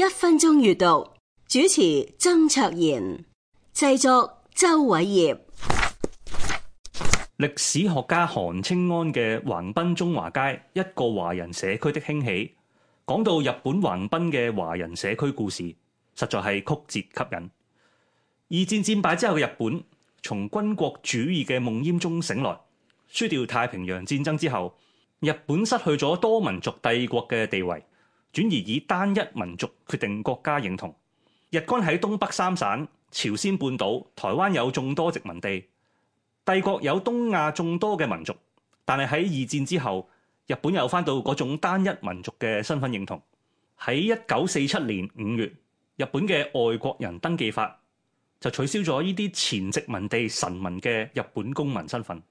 1分鐘閱讀，主持曾卓賢，製作周偉業。歷史學家韓清安嘅橫濱中華街一個華人社區的興起，講到日本橫濱嘅華人社區故事，實在係曲折吸引。二戰戰敗之後嘅日本，從軍國主義嘅夢魘中醒來，輸掉太平洋戰爭之後，日本失去咗多民族帝國嘅地位，轉而以單一民族決定國家認同。日軍喺東北三省、朝鮮半島、台灣有眾多殖民地，帝國有東亞眾多嘅民族，但係喺二戰之後，日本又返到嗰種單一民族嘅身份認同。喺1947年5月，日本嘅外國人登記法就取消咗呢啲前殖民地臣民嘅日本公民身份。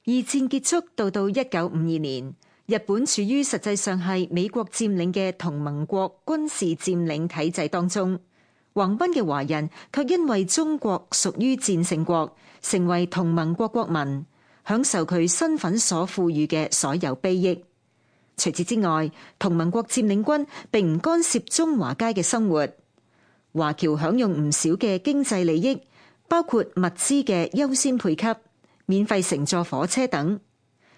二戰結束到1952年，日本處於實際上係美國佔領嘅同盟國軍事佔領體制當中。橫濱嘅華人卻因為中國屬於戰勝國，成為同盟國國民，享受佢身份所賦予嘅所有裨益。除此之外，同盟國佔領軍並唔干涉中華街嘅生活，華僑享用唔少嘅經濟利益，包括物資嘅優先配給、免費乘坐火車等。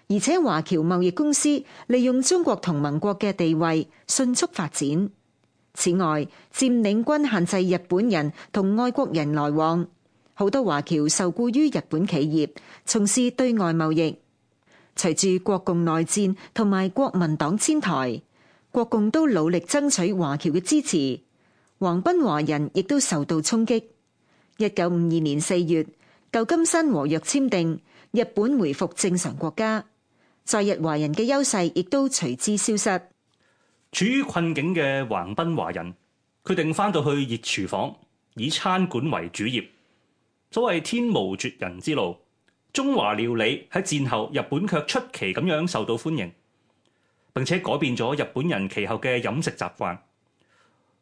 而且華僑貿易公司利用中國同盟國嘅地位迅速發展。此外，佔領軍限制日本人同外國人來往，好多華僑受僱於日本企業，從事對外貿易。隨住國共內戰同埋國民黨遷台，國共都努力爭取華僑嘅支持，橫濱華人亦都受到衝擊。1952年4月，舊金山和約簽訂，日本回復正常國家，在日華人嘅優勢亦都隨之消失。處於困境嘅橫濱華人決定返到去熱廚房，以餐館為主業。所謂天無絕人之路，中華料理喺戰後日本卻出奇咁樣受到歡迎，並且改變咗日本人其後嘅飲食習慣。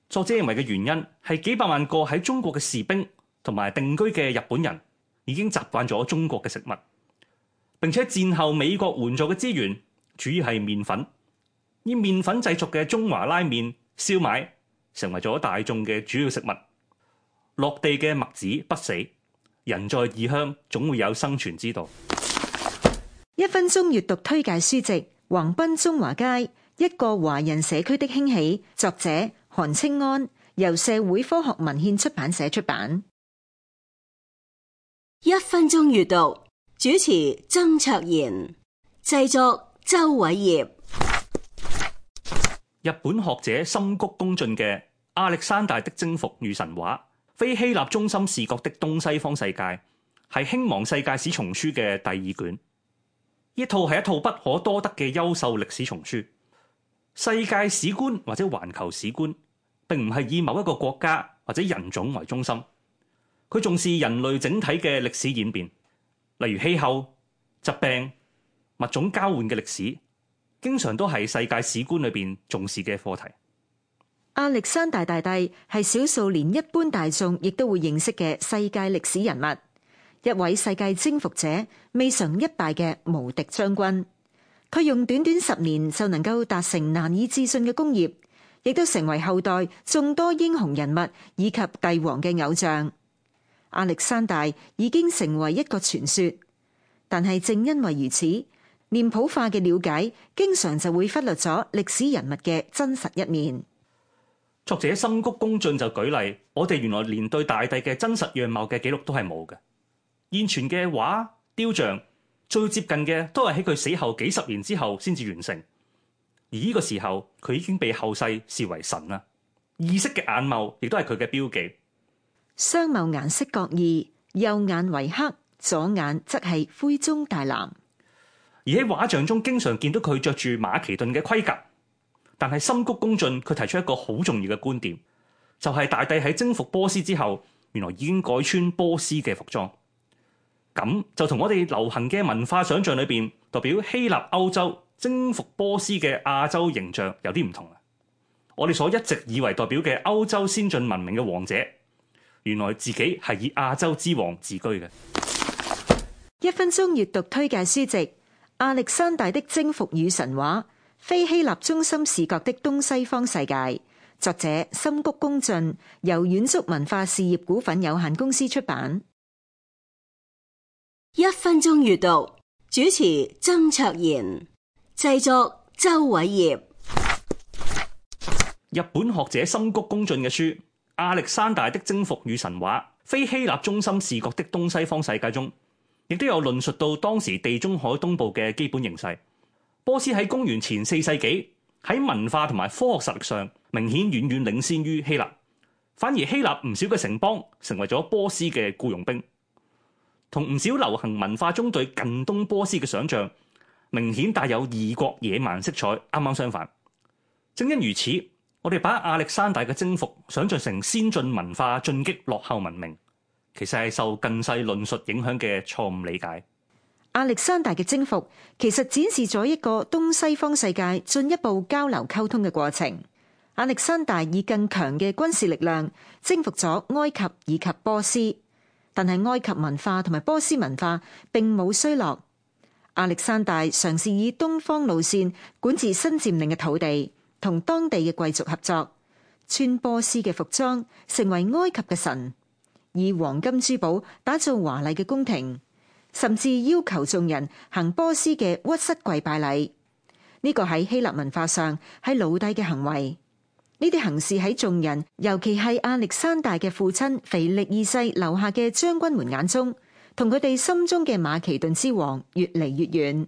作者認為嘅原因係幾百萬個喺中國嘅士兵同埋定居嘅日本人已經習慣咗中國嘅食物，並且戰後美國援助嘅資源主要係麵粉。以麵粉製作嘅中華拉麵、燒賣成為咗大眾嘅主要食物。落地嘅麥子不死，人在異鄉總會有生存之道。1分鐘閱讀推介書籍《橫濱中華街：一個華人社區的興起》，作者韓清安，由社會科學文獻出版社出版。1分鐘閱讀，主持曾卓賢，製作周偉業。日本學者森谷公進嘅《亞歷山大的征服與神話：非希臘中心視角的東西方世界》係興亡世界史叢書嘅第2卷。呢套係一套不可多得嘅優秀歷史叢書。世界史觀或者環球史觀並唔係以某一個國家或者人種為中心，佢重視人類整體嘅歷史演變，例如氣候、疾病、物種交換嘅歷史，經常都係世界史觀裏邊重視嘅課題。亞歷山大大帝係少數連一般大眾亦都會認識嘅世界歷史人物，一位世界征服者，未嘗一敗嘅無敵將軍。佢用短短10年就能夠達成難以置信嘅功業，亦都成為後代眾多英雄人物以及帝王嘅偶像。亞歷山大已經成為一個傳說，但係正因為如此，臉譜化嘅了解，經常就會忽略咗歷史人物嘅真實一面。作者森谷公進就舉例，我哋原來連對大帝嘅真實樣貌嘅記錄都係冇嘅。現存嘅畫、雕像最接近嘅都係喺佢死後幾十年之後先至完成，而呢個時候佢已經被後世視為神啦。意識嘅眼眸亦都係佢嘅標記。雙眸顏色各異，右眼為黑，左眼則係灰中帶藍。而喺畫像中經常見到佢着住馬其頓嘅盔甲，但係森谷公進佢提出一個好重要嘅觀點，就係大帝喺征服波斯之後，原來已經改穿波斯嘅服裝，咁就同我哋流行嘅文化想象裏邊代表希臘歐洲征服波斯嘅亞洲形象有啲唔同啦。我哋所一直以為代表嘅歐洲先進文明嘅王者，原來自己係以亞洲之王自居嘅。1分鐘閱讀推介書籍《亞歷山大的征服與神話：非希臘中心視角的東西方世界》，作者森谷公俊，由遠足文化事業股份有限公司出版。1分鐘閱讀，主持曾卓賢，製作周偉業。日本學者森谷公俊嘅書《亞歷山大的征服與神話：非希臘中心視角的東西方世界》中，亦都有論述到當時地中海東部嘅基本形勢。波斯喺公元前4世紀喺文化同埋科學實力上明顯遠遠領先於希臘，反而希臘唔少嘅城邦成為咗波斯嘅僱傭兵，同唔少流行文化中對近東波斯嘅想象明顯帶有異國野蠻色彩，啱啱相反。正因如此，我哋把亞歷山大嘅征服想象成先進文化進擊落後文明，其實係受近世論述影響嘅錯誤理解。亞歷山大嘅征服其實展示咗一個東西方世界進一步交流溝通嘅過程。亞歷山大以更強嘅軍事力量征服咗埃及以及波斯，但係埃及文化同埋波斯文化並冇衰落。亞歷山大嘗試以東方路線管治新佔領嘅土地，同當地嘅貴族合作，穿波斯嘅服裝，成為埃及嘅神，以黃金珠寶打造華麗嘅宮廷，甚至要求眾人行波斯嘅屈膝跪拜禮。呢個喺希臘文化上係奴隸嘅行為。呢啲行事喺眾人，尤其係亞歷山大嘅父親腓力二世留下嘅將軍們眼中，同佢哋心中嘅馬其頓之王越嚟越遠。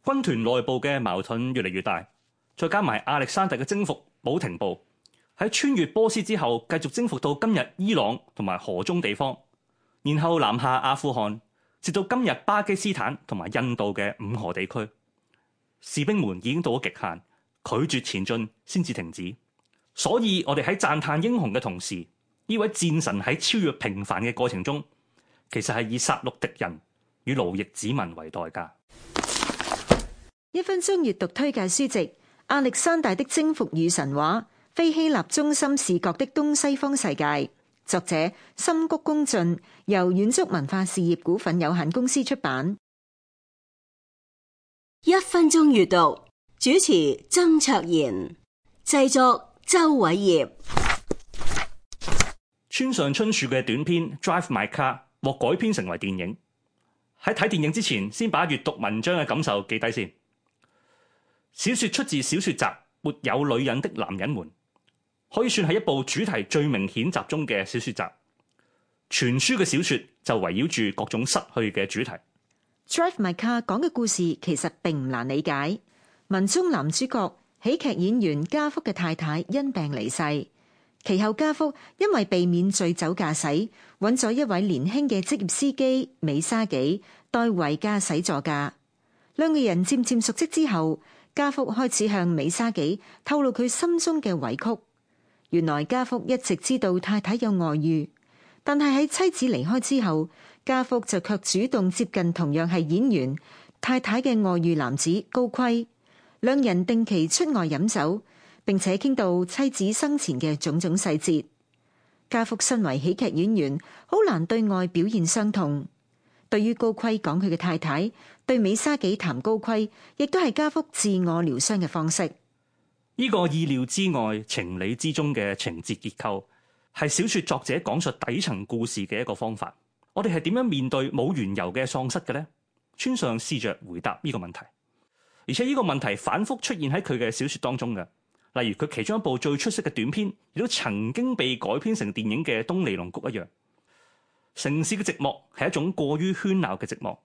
軍團內部嘅矛盾越嚟越大。再加埋亞歷山大嘅征服冇停步，喺穿越波斯之後，繼續征服到今日伊朗同埋河中地方，然後南下阿富汗，直到今日巴基斯坦同埋印度嘅五河地區。士兵們已經到咗極限，拒絕前進先至停止。所以我哋喺讚嘆英雄嘅同時，呢位戰神喺超越平凡嘅過程中，其實係以殺戮敵人與奴役子民為代價。1分鐘閱讀推介書籍。亞歷山大的征服與神話：非希臘中心視角的東西方世界，作者森谷公俊，由遠足文化事業股份有限公司出版。1分鐘閱讀，主持曾卓賢，製作周偉業。村上春樹嘅短篇《Drive My Car》獲改編成為電影。喺睇電影之前，先把閱讀文章嘅感受記低先。小說出自小說集《沒有女人的男人們》，可以算係一部主題最明顯集中嘅小說集。全書嘅小說就圍繞住各種失去嘅主題。Drive My Car 講嘅故事其實並唔難理解。文中男主角喜劇演員家福嘅太太因病離世，其後家福因為避免醉酒駕駛，揾咗一位年輕嘅職業司機美沙紀代為駕駛座駕。兩個人漸漸熟悉之後，家福開始向美沙紀透露佢心中嘅委屈。原來家福一直知道太太有外遇，但係喺妻子離開之後，家福就卻主動接近同樣係演員太太嘅外遇男子高圭。兩人定期出外飲酒，並且傾到妻子生前嘅種種細節。家福身為喜劇演員，好難對外表現傷痛。對於高圭講佢嘅太太，對美沙紀談高圭，亦都係家福自我療傷嘅方式。呢個意料之外、情理之中嘅情節結構，係小說作者講述底層故事嘅一個方法。我哋係點樣面對冇緣由嘅喪失嘅呢？村上試着回答呢個問題，而且呢個問題反覆出現喺佢嘅小說當中嘅。例如佢其中一部最出色嘅短篇，亦都曾經被改編成電影嘅《東尼龍谷》一樣。城市嘅寂寞係一種過於喧鬧嘅寂寞，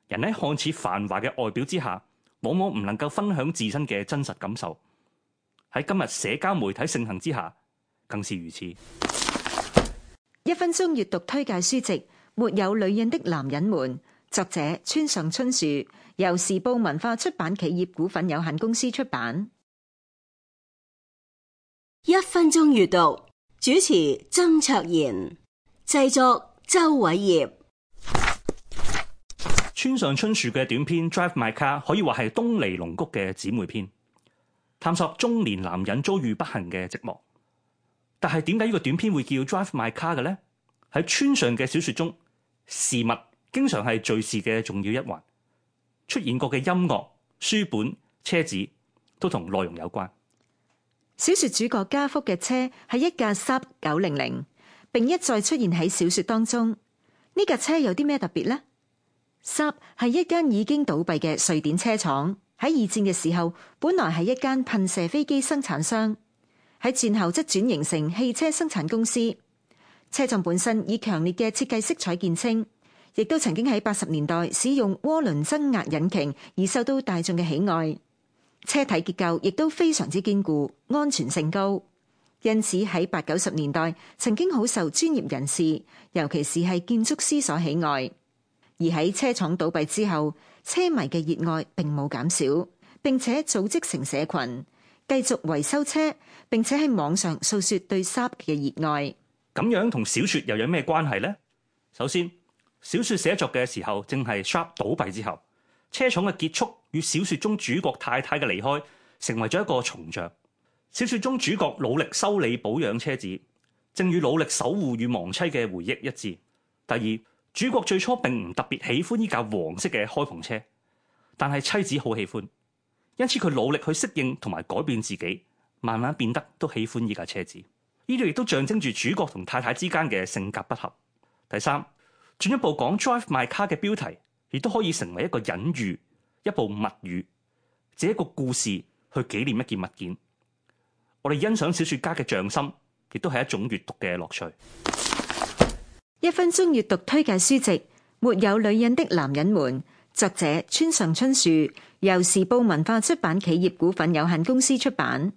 人喺看似繁華嘅外表之下，往往唔能夠分享自身嘅真實感受。喺今日社交媒體盛行之下，更是如此。1分鐘閱讀推介書籍《沒有女人的男人們》，作者村上春樹，由時報文化出版企業股份有限公司出版。1分鐘閱讀，主持曾卓賢，製作周偉業。村上春樹嘅短篇《Drive My Car》可以話係東尼龍谷嘅姊妹篇，探索中年男人遭遇不幸嘅寂寞。但係點解呢個短篇會叫《Drive My Car》嘅呢？喺村上嘅小說中，事物經常係敘事嘅重要一環，出現過嘅音樂、書本、車子都同內容有關。小說主角家福嘅車係一架 Saab 900，並一再出現喺小說當中。呢架車有啲咩特別呢？ Saab 係一間已經倒閉嘅瑞典車廠，喺二戰嘅時候本來係一間噴射飛機生產商，喺戰後則轉型成汽車生產公司。車廠本身以強烈嘅設計色彩見稱，亦都曾經喺80年代使用渦輪增壓引擎而受到大眾嘅喜愛。車體結構亦都非常之堅固，安全性高，因此喺80、90年代曾經好受專業人士，尤其是係建築師所喜愛。而喺車廠倒閉之後，車迷嘅熱愛並冇減少，並且組織成社群，繼續維修車，並且喺網上訴說對 Saab 嘅熱愛。咁樣同小說又有咩關係呢？首先，小說寫作嘅時候正係 Saab 倒閉之後，車廠嘅結束與小說中主角太太嘅離開成為咗一個重像。小說中主角努力修理保養車子，正與努力守護與亡妻嘅回憶一致。第二，主角最初並唔特別喜歡呢架黃色嘅開篷車，但係妻子好喜歡，因此佢努力去適應同埋改變自己，慢慢變得都喜歡呢架車子。呢度亦都象徵住主角同太太之間嘅性格不合。第三，進一步講 Drive My Car 嘅標題，亦都可以成為一個隱喻，一部物語，這一個故事去紀念一件物件。我哋欣賞小說家嘅匠心，亦都係一種閱讀嘅樂趣。1分鐘閱讀推介書籍《沒有女人的男人們》，作者村上春樹，由時報文化出版企業股份有限公司出版。